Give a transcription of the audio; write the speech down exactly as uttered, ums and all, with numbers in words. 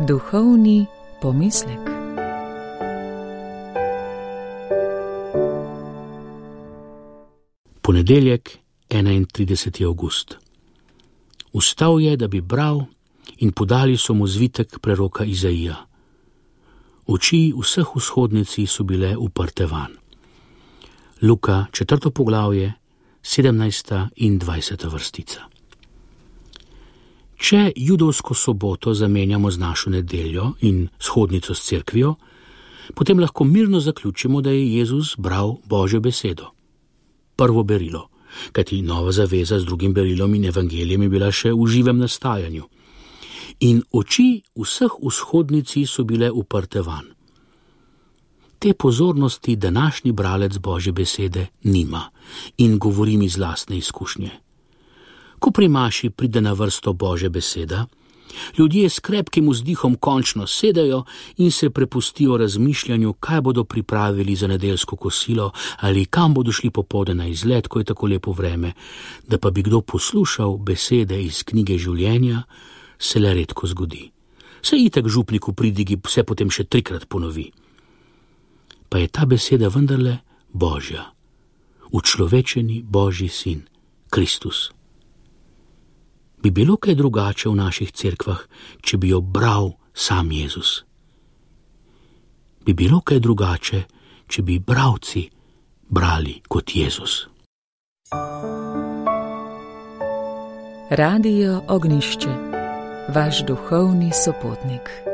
Duhovni pomislek. Ponedeljek, enaintrideseti avgust. Vstal je, da bi bral, in podali so mu zvitek preroka Izaija. Oči vseh vzhodnici so bile uprte van. Luka, četrto poglavje, sedemnajsta in dvajseta vrstica. Če judovsko soboto zamenjamo z našo nedeljo in shodnico s cerkvijo, potem lahko mirno zaključimo, da je Jezus bral Božjo besedo. Prvo berilo, kajti nova zaveza z drugim berilom in evangelijem je bila še v živem nastajanju. In oči vseh vzhodnici so bile uprte van. Te pozornosti današnji bralec Božje besede nima in govorim iz lastne izkušnje. Ko pri maši pride na vrsto Božja beseda, ljudje s krepkim vzdihom končno sedajo in se prepustijo razmišljanju, kaj bodo pripravili za nedeljsko kosilo ali kam bodo šli popoldne na izlet, ko je tako lepo vreme, da pa bi kdo poslušal besede iz knjige življenja, se le redko zgodi. Se itak župnik v pridigi vse potem še trikrat ponovi. Pa je ta beseda vendarle Božja, učlovečeni Božji sin, Kristus. Bi bilo kaj drugače v naših cerkvah, če bi jo bral sam Jezus? Bi bilo kaj drugače, če bi bralci brali kot Jezus? Radio Ognjišče, vaš duhovni sopotnik.